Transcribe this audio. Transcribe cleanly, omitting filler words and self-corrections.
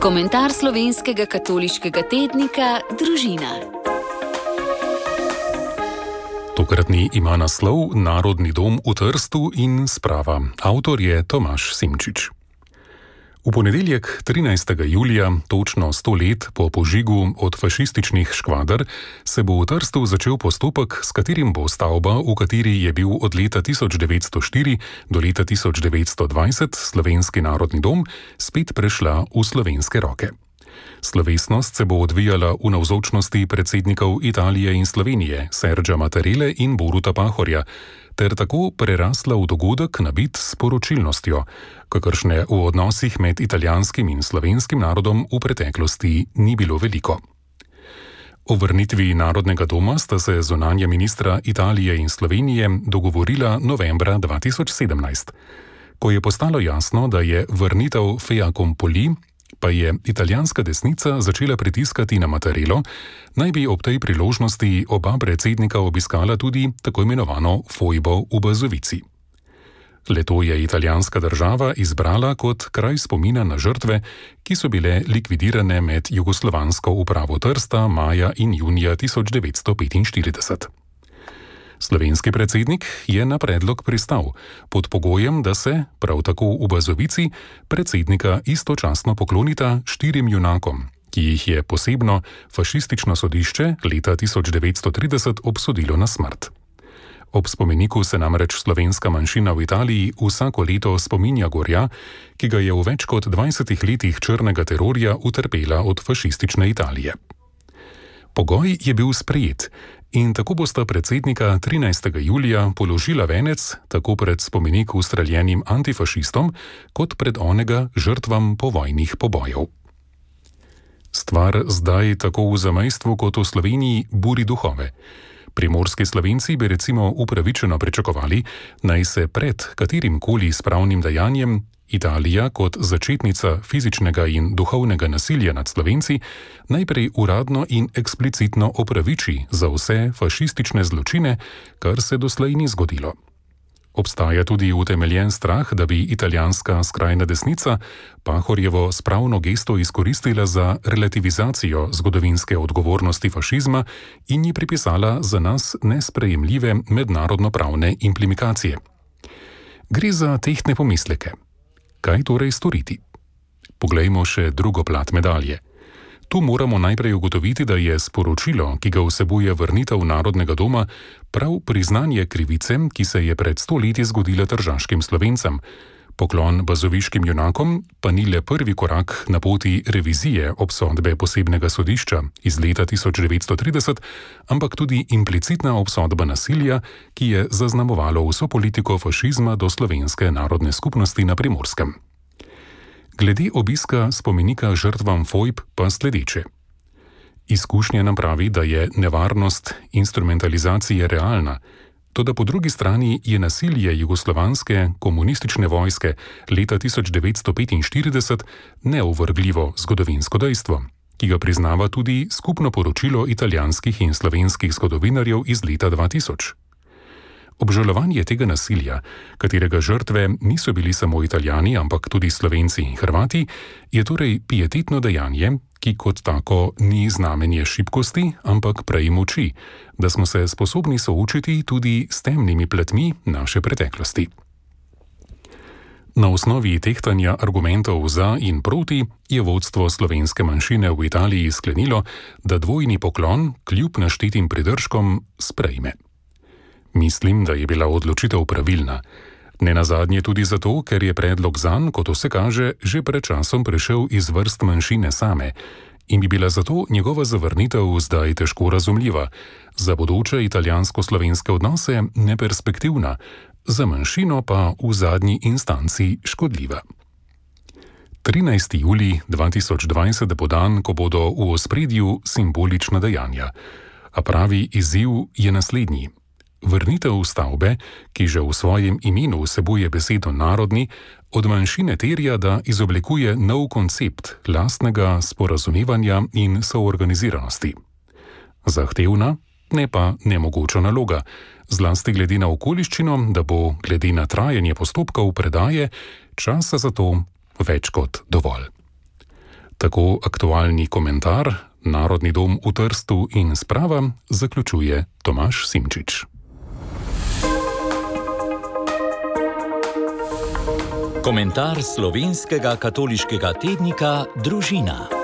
Komentar slovenskega katoliškega tednika Družina. Tokratni ima naslov Narodni dom v Trstu in sprava. Avtor je Tomaž Simčič. V ponedeljek 13. julija, točno 100 let po požigu od fašističnih škvader, se bo v Trstu začel postopek, s katerim bo stavba, v kateri je bil od leta 1904 do leta 1920 Slovenski narodni dom, spet prešla v slovenske roke. Slovesnost se bo odvijala v navzočnosti predsednikov Italije in Slovenije, Sergea Mattarelle in Boruta Pahorja, ter tako prerasla v dogodek nabit s poročilnostjo, kakršne v odnosih med italijanskim in slovenskim narodom v preteklosti ni bilo veliko. O vrnitvi Narodnega doma sta se zunanja ministra Italije in Slovenije dogovorila novembra 2017. Ko je postalo jasno, da je vrnitev fait accompli, pa je italijanska desnica začela pritiskati na Mattarello, naj bi ob tej priložnosti oba predsednika obiskala tudi tako imenovano fojbo v Bazovici. Le-to je italijanska država izbrala kot kraj spomina na žrtve, ki so bile likvidirane med jugoslovansko upravo Trsta maja in junija 1945. Slovenski predsednik je na predlog pristal, pod pogojem, da se, prav tako v Bazovici, predsednika istočasno poklonita 4 junakom, ki jih je posebno fašistično sodišče leta 1930 obsodilo na smrt. Ob spomeniku se namreč slovenska manjšina v Italiji vsako leto spominja gorja, ki ga je v več kot 20 letih črnega terorja utrpela od fašistične Italije. Pogoj je bil sprejet in tako bosta predsednika 13. julija položila venec tako pred spomenik ustreljenim antifašistom, kot pred onega žrtvam povojnih pobojev. Stvar zdaj tako v zamejstvu kot v Sloveniji buri duhove. Primorski Slovenci bi recimo upravičeno pričakovali, naj se pred katerimkoli spravnim dejanjem Italija kot začetnica fizičnega in duhovnega nasilja nad Slovenci najprej uradno in eksplicitno opraviči za vse fašistične zločine, kar se doslej ni zgodilo. Obstaja tudi utemeljen strah, da bi italijanska skrajna desnica Pahorjevo spravno gesto izkoristila za relativizacijo zgodovinske odgovornosti fašizma in ji pripisala za nas nesprejemljive mednarodnopravne implikacije. Gre za tehtne pomisleke. Kaj torej storiti? Poglejmo še drugo plat medalje. Tu moramo najprej ugotoviti, da je sporočilo, ki ga vsebuje vrnitev Narodnega doma, prav priznanje krivice, ki se je pred 100 leti zgodila tržaškim Slovencem. Poklon bazoviškim junakom pa ni le prvi korak na poti revizije obsodbe posebnega sodišča iz leta 1930, ampak tudi implicitna obsodba nasilja, ki je zaznamovalo vso politiko fašizma do slovenske narodne skupnosti na Primorskem. Glede obiska spomenika žrtvam fojb pa sledeče. Izkušnja nam pravi, da je nevarnost instrumentalizacije realna, toda po drugi strani je nasilje jugoslovanske komunistične vojske leta 1945 neovrgljivo zgodovinsko dejstvo, ki ga priznava tudi skupno poročilo italijanskih in slovenskih zgodovinarjev iz leta 2000. Obžalovanje tega nasilja, katerega žrtve niso bili samo Italijani, ampak tudi Slovenci in Hrvati, je torej pietetno dejanje, ki kot tako ni znamenje šibkosti, ampak prej moči, da smo se sposobni soočiti tudi s temnimi platmi naše preteklosti. Na osnovi tehtanja argumentov za in proti je vodstvo slovenske manjšine v Italiji sklenilo, da dvojni poklon kljub naštetim pridržkom sprejme. Mislim, da je bila odločitev pravilna. Nenazadnje tudi zato, ker je predlog zanj, kot vse kaže, že pred časom prišel iz vrst manjšine same in bi bila zato njegova zavrnitev zdaj težko razumljiva, za bodoče italijansko-slovenske odnose neperspektivna, za manjšino pa v zadnji instanci škodljiva. 13. julij 2020 bo dan, ko bodo v ospredju simbolična dejanja, a pravi izziv je naslednji. Vrnitev stavbe, ki že v svojem imenu vsebuje besedo narodni, od manjšine terja, da izoblikuje nov koncept lastnega sporazumevanja in soorganiziranosti. Zahtevna, ne pa nemogoča naloga, zlasti glede na okoliščino, da bo glede na trajanje postopkov predaje časa za to več kot dovolj. Tako aktualni komentar Narodni dom v Trstu in sprava zaključuje Tomaž Simčič. Komentar slovenskega katoliškega tednika Družina.